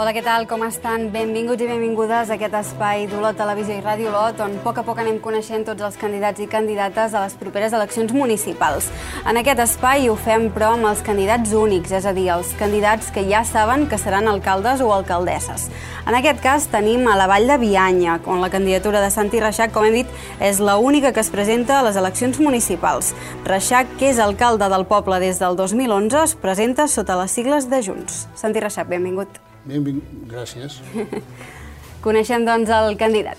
Hola, què tal? Com estan? Benvinguts i benvingudes a aquest espai d'Olot Televisió i Ràdio Olot, on a poc anem coneixent tots els candidats i candidates a les properes eleccions municipals. En aquest espai ho fem, però, amb els candidats únics, és a dir, els candidats que ja saben que seran alcaldes o alcaldesses. En aquest cas tenim a la Vall de Bianya, on la candidatura de Santi Reixac, com hem dit, és l'única que es presenta a les eleccions municipals. Reixac, que és alcalde del poble des del 2011, es presenta sota les sigles de Junts. Santi Reixac, benvingut. Benvingut, gràcies. Coneixem, doncs, el candidat.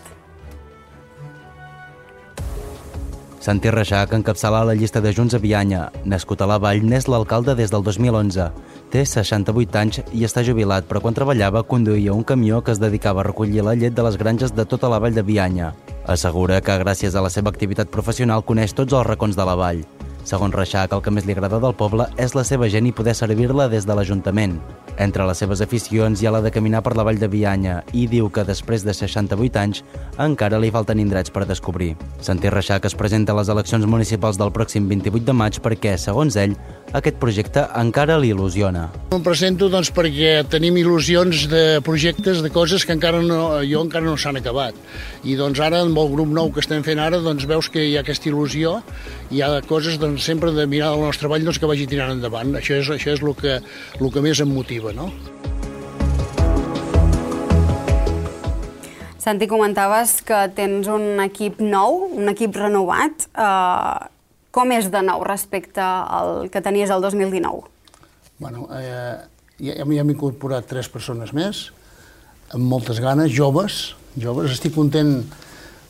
Santi Reixac encapçala la llista de Junts a Bianya. Nascut a la Vall, n'és l'alcalde des del 2011. Té 68 anys i està jubilat, però quan treballava conduïa un camió que es dedicava a recollir la llet de les granges de tota la Vall de Bianya. Assegura que gràcies a la seva activitat professional coneix tots els racons de la vall. Segons Reixac, el que més li agrada del poble és la seva gent i poder servir-la des de l'Ajuntament. Entre les seves aficions hi ha la de caminar per la Vall de Bianya i diu que després de 68 anys encara li falten indrets per descobrir. Santi Reixac es presenta a les eleccions municipals del pròxim 28 de maig perquè, segons ell, aquest projecte encara l'il·lusiona. Em presento doncs, perquè tenim il·lusions de projectes, de coses que encara no s'han acabat. I doncs ara, amb el grup nou que estem fent ara, doncs veus que hi ha aquesta il·lusió, hi ha coses doncs, sempre de mirar el nostre treball doncs, que vagi tirant endavant. Això és el que més em motiva, no? Santi, comentaves que tens un equip nou, un equip renovat. Com és de nou respecte al que tenies el 2019? Bueno, ja hem incorporat 3 persones més, amb moltes ganes, joves. Estic content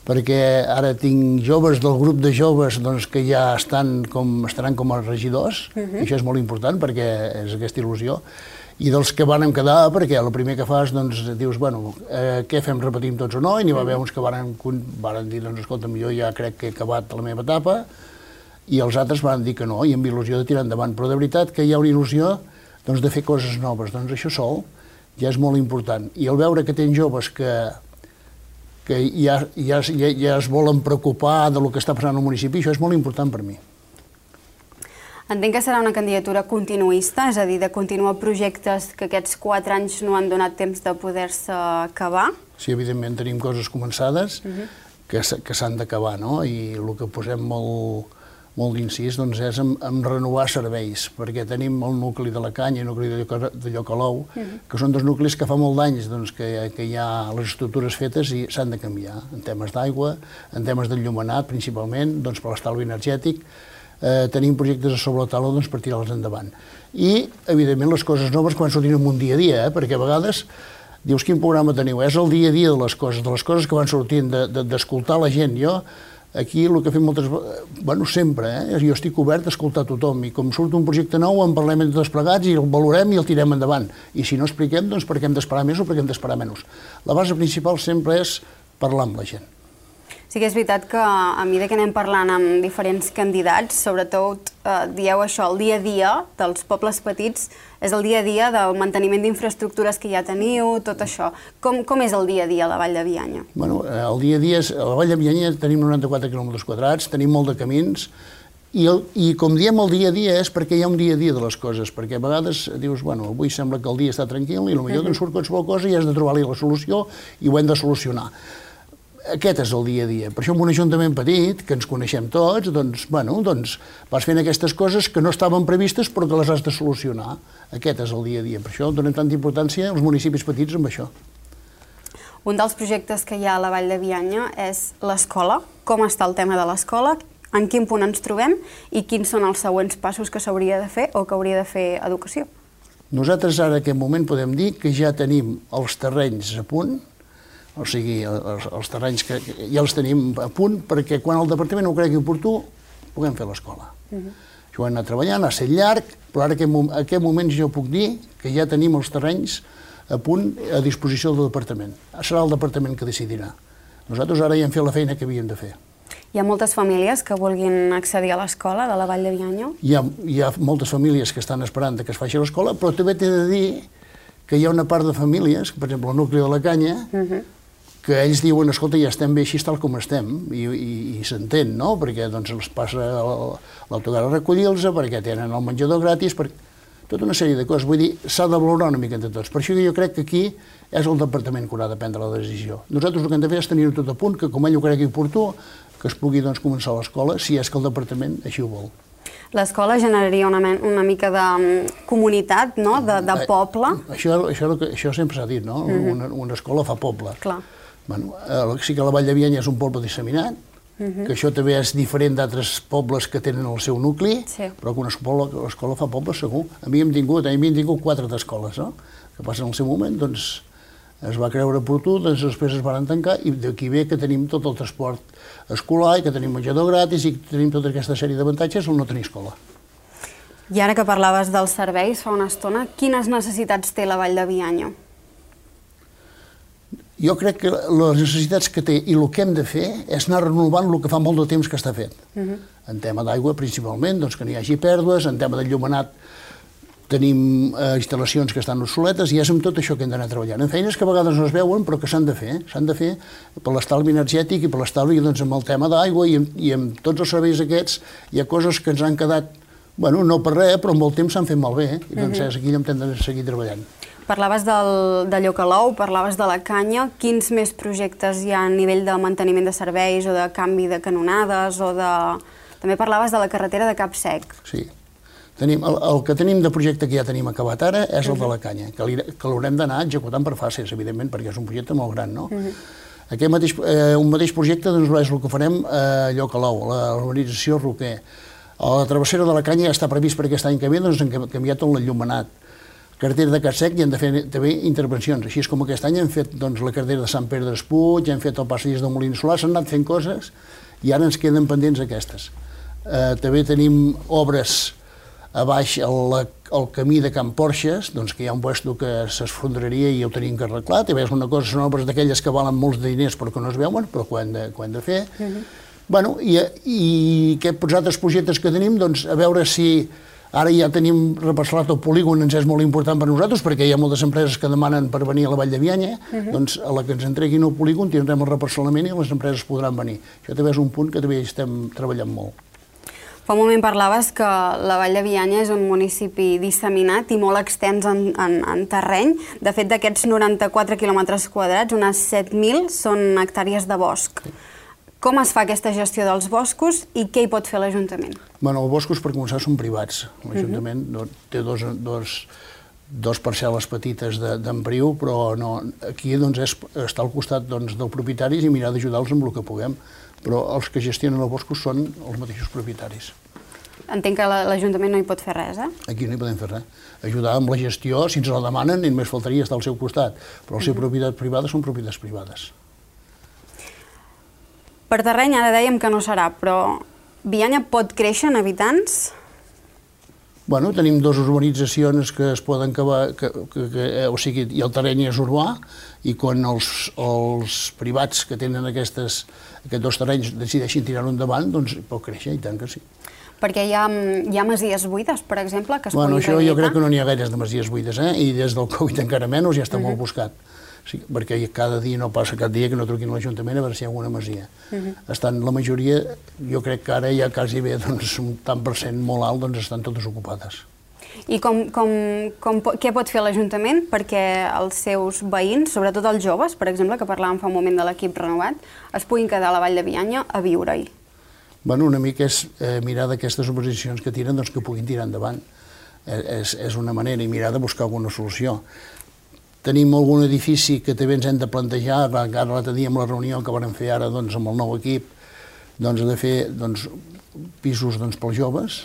perquè ara tinc joves del grup de joves doncs, que ja estaran com a regidors, i això és molt important perquè és aquesta il·lusió, i dels que vàrem quedar, perquè el primer que fas doncs, dius, bueno, què fem, repetim tots o no, i n'hi va haver uns que varen dir, doncs, escolta'm, jo ja crec que he acabat la meva etapa, i els altres van dir que no, i amb il·lusió de tirar endavant, però de veritat que hi ha una il·lusió doncs, de fer coses noves, doncs això sol ja és molt important, i el veure que tens joves que ja es volen preocupar del que està passant al municipi, això és molt important per mi. Entenc que serà una candidatura continuista, és a dir, de continuar projectes que aquests 4 anys no han donat temps de poder-se acabar? Sí, evidentment tenim coses començades que s'han d'acabar, no? I el que posem molt d'incís doncs, és en renovar serveis, perquè tenim el nucli de la Canya i el nucli de Llocalou, que són 2 nuclis que fa molt d'anys doncs, que hi ha les estructures fetes i s'han de canviar, en temes d'aigua, en temes d'enllumenat principalment, doncs, per l'estalvi energètic. Tenim projectes a sobre la taula doncs, per tirar-los endavant. I, evidentment, les coses noves quan sortim en un dia a dia, perquè a vegades dius quin programa teniu, és el dia a dia de les coses que van sortint, d'escoltar la gent. Jo, aquí el que fem moltes vegades, bueno, sempre, jo estic obert a escoltar tothom, i com surt un projecte nou en parlem entre tots plegats i el valorem i el tirem endavant. I si no expliquem, doncs perquè hem d'esperar més o perquè hem d'esperar menys. La base principal sempre és parlar amb la gent. Sí que és veritat que a mesura que anem parlant amb diferents candidats, sobretot dieu això, el dia a dia dels pobles petits és el dia a dia del manteniment d'infraestructures que ja teniu, tot això. Com és el dia a dia a la Vall de Bianya? Bueno, el dia a dia, a la Vall de Bianya tenim 94 quilòmetres quadrats, tenim molt de camins, i com diem el dia a dia és perquè hi ha un dia a dia de les coses, perquè a vegades dius, bueno, avui sembla que el dia està tranquil i potser que en surt qualsevol cosa i has de trobar-li la solució i ho hem de solucionar. Aquest és el dia a dia. Per això en un ajuntament petit, que ens coneixem tots, doncs vas fent aquestes coses que no estaven previstes però que les has de solucionar. Aquest és el dia a dia. Per això donem tanta importància als municipis petits amb això. Un dels projectes que hi ha a la Vall de Bianya és l'escola. Com està el tema de l'escola? En quin punt ens trobem? I quins són els següents passos que s'hauria de fer o que hauria de fer Educació? Nosaltres ara en aquest moment podem dir que ja tenim els terrenys a punt, o sigui, els terrenys que ja els tenim a punt perquè quan el departament ho cregui oportú puguem fer l'escola. Això ho hem anat treballant, ha estat llarg, però ara en aquest moment jo puc dir que ja tenim els terrenys a punt a disposició del departament. Serà el departament que decidirà. Nosaltres ara ja hem fet la feina que havíem de fer. Hi ha moltes famílies que vulguin accedir a l'escola de la Vall de Bianya? Hi ha moltes famílies que estan esperant que es faci l'escola, però també t'he de dir que hi ha una part de famílies, per exemple el nucli de la Canya, que ells diuen, escolta, ja estem bé així tal com estem, i s'entén, no? Perquè doncs els passa l'autocar a recollir-los, perquè tenen el menjador gratis, tota una sèrie de coses. Vull dir, s'ha de valorar una mica entre tots. Per això jo crec que aquí és el departament que haurà de prendre la decisió. Nosaltres el que hem de fer és tenir-ho tot a punt, que com ell ho cregui oportú, que es pugui començar l'escola, si és que el departament així ho vol. L'escola generaria una mica de comunitat, no?, de poble. Això sempre s'ha dit, no? Una escola fa poble. Clar. Sí que la Vall de Bianya és un poble disseminat, que això també és diferent d'altres pobles que tenen el seu nucli, però que una escola fa poble segur. A mi hem tingut 4 d'escoles, no? Que passa en el seu moment, doncs es va creure oportú, després es van tancar i d'aquí ve que tenim tot el transport escolar i que tenim menjador gratis i que tenim tota aquesta sèrie d'avantatges al no tenir escola. I ara que parlaves dels serveis fa una estona, quines necessitats té la Vall de Bianya? Jo crec que les necessitats que té i el que hem de fer és anar renovant el que fa molt de temps que està fet. En tema d'aigua, principalment, doncs que no hi hagi pèrdues, en tema d'enllumenat tenim instal·lacions que estan obsoletes i és amb tot això que hem d'anar treballant. En feines que a vegades no es veuen però que s'han de fer per l'estalvi energètic i per l'estalvi amb el tema d'aigua i amb tots els serveis aquests hi ha coses que ens han quedat, no per res, però amb el temps s'han fet malbé i doncs és aquí on hem de seguir treballant. Parlaves de Llocalou, parlaves de la canya. Quins més projectes hi ha a nivell de manteniment de serveis o de canvi de canonades o de... També parlaves de la carretera de Capsec. Sí. El que tenim de projecte que ja tenim acabat ara és el de la canya, que l'haurem d'anar executant per fases, evidentment, perquè és un projecte molt gran, no? Un mateix projecte és el que farem a Llocalou, a l'urbanització Roquer. A la travessera de la canya ja està previst per aquest any que ve, doncs hem canviat l'enllumenat. Carretera de Capsec i hem de fer també intervencions. Així com aquest any hem fet la carretera de Sant Pere d'Espuig, hem fet el passadís del Molí Solar, s'han anat fent coses i ara ens queden pendents aquestes. També tenim obres a baix al camí de Can Porxes, que hi ha un puesto que s'esfondraria i ho tenim que arreglar. També és una cosa, són obres d'aquelles que valen molts de diners però que no es veuen, però que ho hem de fer. I aquests altres projectes que tenim, a veure si ara ja tenim reparcel·lat el polígon, ens és molt important per nosaltres, perquè hi ha moltes empreses que demanen per venir a la Vall de Bianya, doncs a la que ens entreguin el polígon tindrem el reparcel·lament i les empreses podran venir. Això també és un punt que també estem treballant molt. Fa un moment parlaves que la Vall de Bianya és un municipi disseminat i molt extens en terreny. De fet, d'aquests 94 quilòmetres quadrats, unes 7.000 són hectàrees de bosc. Com es fa aquesta gestió dels boscos i què hi pot fer l'Ajuntament? Els boscos, per començar, són privats. L'Ajuntament té dos parcel·les petites d'empriu, però aquí està al costat dels propietaris i mirar d'ajudar-los amb el que puguem. Però els que gestionen els boscos són els mateixos propietaris. Entenc que l'Ajuntament no hi pot fer res, eh? Aquí no hi podem fer res. Ajudar amb la gestió, si ens la demanen, ni només faltaria estar al seu costat. Però les seves propietats privades són propietats privades. Per terreny ara dèiem que no serà, però Bianya pot créixer en habitants? Tenim dues urbanitzacions que es poden acabar, o sigui, i el terreny és urbà, i quan els privats que tenen aquests dos terrenys decideixin tirar-ho endavant, doncs pot créixer, i tant que sí. Perquè hi ha masies buides, per exemple, que es puguin rehabilitar? Això jo crec que no n'hi ha gaires de masies buides, i des del Covid encara menys ja està molt buscat. Perquè cada dia no passa cap dia que no truquin a l'Ajuntament a veure si hi ha alguna masia. Estan la majoria, jo crec que ara ja quasi bé un tant per cent molt alt, estan totes ocupades. I què pot fer l'Ajuntament perquè els seus veïns, sobretot els joves, per exemple, que parlàvem fa un moment de l'equip renovat, es puguin quedar a la Vall de Bianya a viure-hi? Una mica és mirar d'aquestes urbanitzacions que tiren que puguin tirar endavant. És una manera, i mirar de buscar alguna solució. Tenim algun edifici que també ens hem de plantejar, ara l'altre dia amb la reunió que vam fer ara amb el nou equip, de fer pisos pels joves,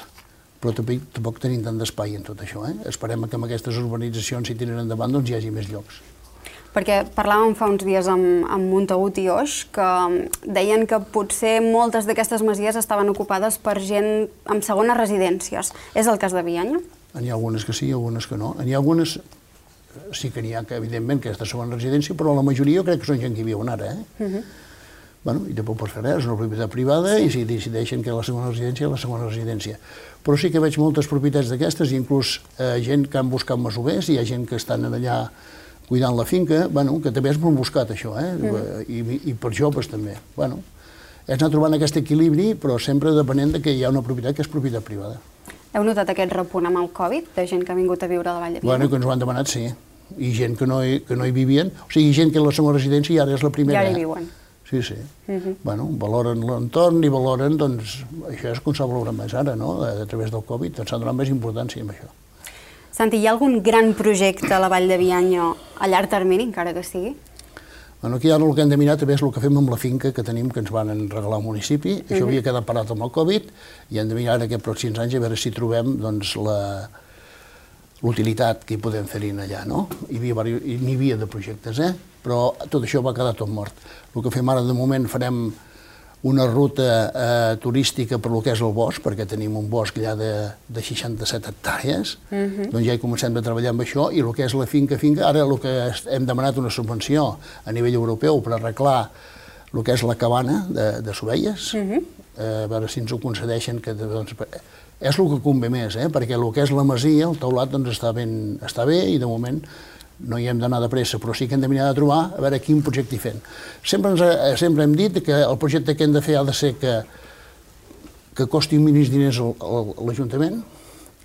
però tampoc tenim tant d'espai en tot això. Esperem que amb aquestes urbanitzacions, si tiren endavant, hi hagi més llocs. Perquè parlàvem fa uns dies amb Montagut i Oix, que deien que potser moltes d'aquestes masies estaven ocupades per gent amb segones residències. És el cas de Bianya? N'hi ha algunes que sí, algunes que no. N'hi ha algunes... Sí que n'hi ha, evidentment, aquesta segona residència, però la majoria jo crec que són gent que hi viuen ara. I tampoc pots fer res, és una propietat privada i si decideixen que la segona residència és la segona residència. Però sí que veig moltes propietats d'aquestes, i inclús gent que han buscat masovers, hi ha gent que estan allà cuidant la finca, que també és molt buscat això, i per joves també. És anar trobant aquest equilibri, però sempre depenent que hi ha una propietat que és propietat privada. Heu notat aquest repunt amb el Covid, de gent que ha vingut a viure a la Vall de Bianya? Bueno, que ens ho han demanat, sí. I gent que no hi vivien, o sigui, gent que és la segona residència i ara és la primera. Ja hi viuen. Sí, sí. Bueno, valoren l'entorn i valoren, doncs, això és com s'ha valorat més ara, no?, a través del Covid, doncs s'ha donat més importància amb això. Santi, hi ha algun gran projecte a la Vall de Bianya a llarg termini, encara que sigui? Bueno, aquí ara el que hem de mirar també és el que fem amb la finca que tenim, que ens van regalar al municipi. Això havia quedat parat amb el Covid i hem de mirar aquests pròxims anys a veure si trobem doncs, l'utilitat que hi podem fer-hi allà, no? N'hi havia de projectes, però tot això va quedar tot mort. El que fem ara, de moment, farem una ruta turística per lo que és el bosc, perquè tenim un bosc allà de 67 hectàrees, doncs ja hi comencem a treballar amb això, i el que és la finca, ara el que hem demanat una subvenció a nivell europeu per arreglar el que és la cabana de Sovelles, a veure si ens ho concedeixen, que doncs, és el que convé més, perquè el que és la masia, el teulat, doncs està bé i de moment no hi hem d'anar de pressa, però sí que hem de mirar de trobar a veure quin projecte hi fem. Sempre hem dit que el projecte que hem de fer ha de ser que costi mínims diners a l'Ajuntament,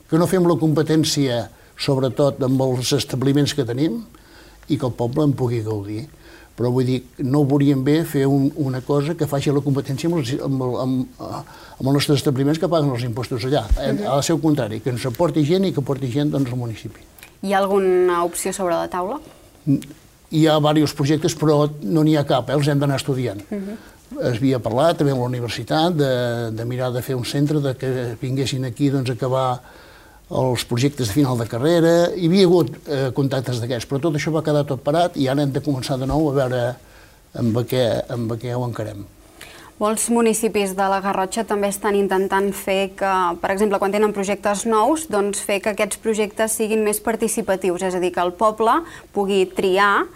que no fem la competència, sobretot amb els establiments que tenim, i que el poble en pugui gaudir. Però vull dir, no veuríem bé fer una cosa que faci la competència amb els nostres establiments que paguen els impostos allà. Ha de ser el contrari, que ens aporti gent i que aporti gent al municipi. Hi ha alguna opció sobre la taula? Hi ha diversos projectes, però no n'hi ha cap, els hem d'anar estudiant. Es havia parlat també amb la universitat de mirar de fer un centre, que vinguessin aquí a acabar els projectes de final de carrera. Hi havia hagut contactes d'aquests, però tot això va quedar tot parat i ara hem de començar de nou a veure amb què ho encarem. Molts municipis de la Garrotxa també estan intentant fer que, per exemple, quan tenen projectes nous, doncs fer que aquests projectes siguin més participatius, és a dir, que el poble pugui triar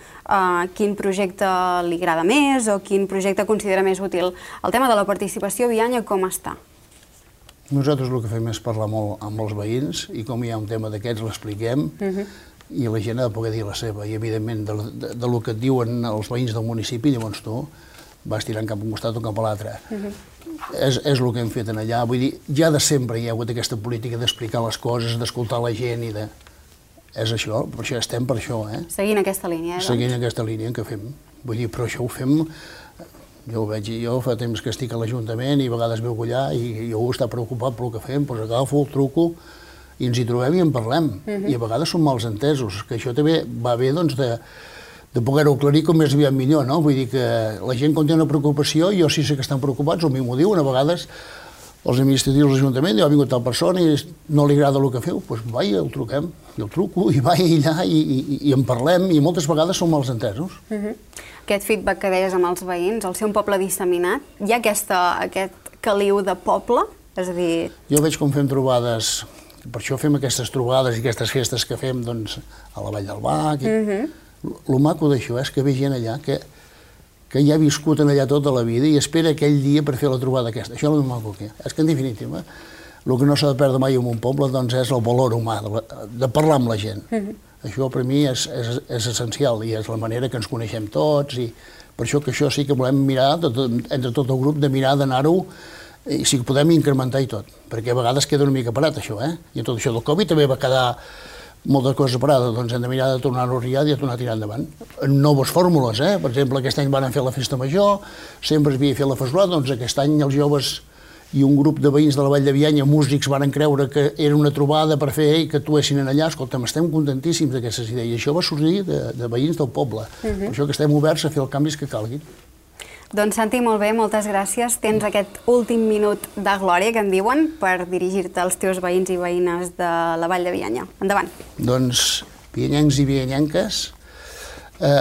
quin projecte li agrada més o quin projecte considera més útil. El tema de la participació a Bianya com està? Nosaltres el que fem és parlar molt amb els veïns i com hi ha un tema d'aquests l'expliquem i la gent ha de poder dir la seva i evidentment del que et diuen els veïns del municipi, llavors tu vas tirant cap a un costat o cap a l'altre. És el que hem fet allà. Vull dir, ja de sempre hi ha hagut aquesta política d'explicar les coses, d'escoltar la gent i de... És això, per això estem per això, Seguint aquesta línia, Seguint aquesta línia que fem. Vull dir, però això ho fem... Jo ho veig, jo fa temps que estic a l'Ajuntament i a vegades veu allà i jo està preocupat pel que fem, doncs agafo el truco i ens hi trobem i en parlem. I a vegades som mals entesos, que això també va bé, doncs, de poder-ho aclarir com més aviat millor, no? Vull dir que la gent quan té una preocupació, jo sí sé que estan preocupats, o a mi m'ho diuen, a vegades els administratius de l'Ajuntament, ha vingut tal persona i no li agrada el que feu, doncs vai, el truquem, i el truco, i vai allà i en parlem, i moltes vegades som mals entesos. Aquest feedback que deies amb els veïns, al ser un poble disseminat, hi ha aquest caliu de poble? És a dir... Jo veig com fem trobades, per això fem aquestes trobades i aquestes festes que fem, doncs, a la Vall del Bac. El maco d'això és que ve gent allà que ja ha viscut allà tota la vida i espera aquell dia per fer la trobada aquesta. Això és el maco que és que, en definitiva, el que no s'ha de perdre mai en un poble doncs, és el valor humà, de parlar amb la gent. Això per mi és essencial i és la manera que ens coneixem tots i per això que això sí que volem mirar, entre tot el grup, de mirar d'anar-ho i si podem incrementar i tot, perquè a vegades queda una mica parat això, i tot això del Covid també va quedar moltes coses parades, doncs hem de mirar de tornar-ho a riar i de tornar a tirar endavant. En noves fórmules, per exemple, aquest any van fer la festa major, sempre es havia fet la fesolada, doncs aquest any els joves i un grup de veïns de la Vall de Bianya, músics, van creure que era una trobada per fer i que actuessin allà. Escolta'm, estem contentíssims d'aquestes idees. I això va sorgir de veïns del poble. Per això que estem oberts a fer els canvis que calguin. Doncs Santi, molt bé, moltes gràcies. Tens aquest últim minut de glòria, que en diuen, per dirigir-te als teus veïns i veïnes de la Vall de Bianya. Endavant. Doncs, bianyencs i bianyenques,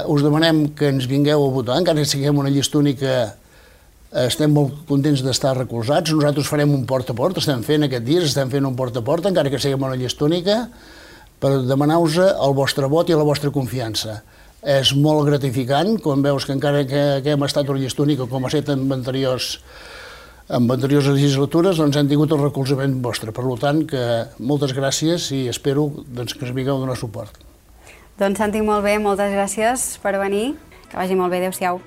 us demanem que ens vingueu a votar, encara que siguem una llista única. Estem molt contents d'estar recolzats. Nosaltres farem un porta a porta, estem fent aquest dia, estem fent un porta a porta, encara que siguem una llista única, per demanar-vos el vostre vot i la vostra confiança. És molt gratificant quan veus que encara que hem estat una llista única, com ha estat en anteriors legislatures, doncs hem tingut el recolzament vostre. Per tant, que moltes gràcies i espero que ens vingueu a donar suport. Doncs Santi, molt bé, moltes gràcies per venir. Que vagi molt bé, adéu-siau.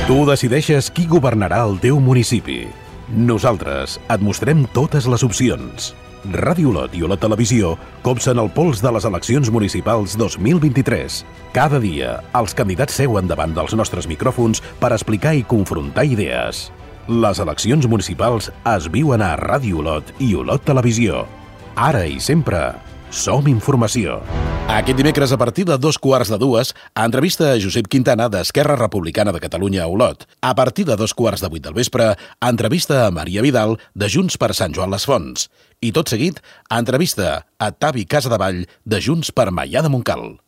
Tu decideixes qui governarà el teu municipi. Nosaltres et mostrem totes les opcions. Ràdio Olot i Olot Televisió copsen el pols de les eleccions municipals 2023. Cada dia, els candidats seuen davant dels nostres micròfons per explicar i confrontar idees. Les eleccions municipals es viuen a Ràdio Olot i Olot Televisió. Ara i sempre, som informació. Aquest dimecres, a partir de 2:15, entrevista a Josep Quintana d'Esquerra Republicana de Catalunya a Olot. A partir de 2:15 del vespre, entrevista a Maria Vidal de Junts per Sant Joan les Fonts. I tot seguit, entrevista a Tavi Casadevall de Junts per Maià de Montcal.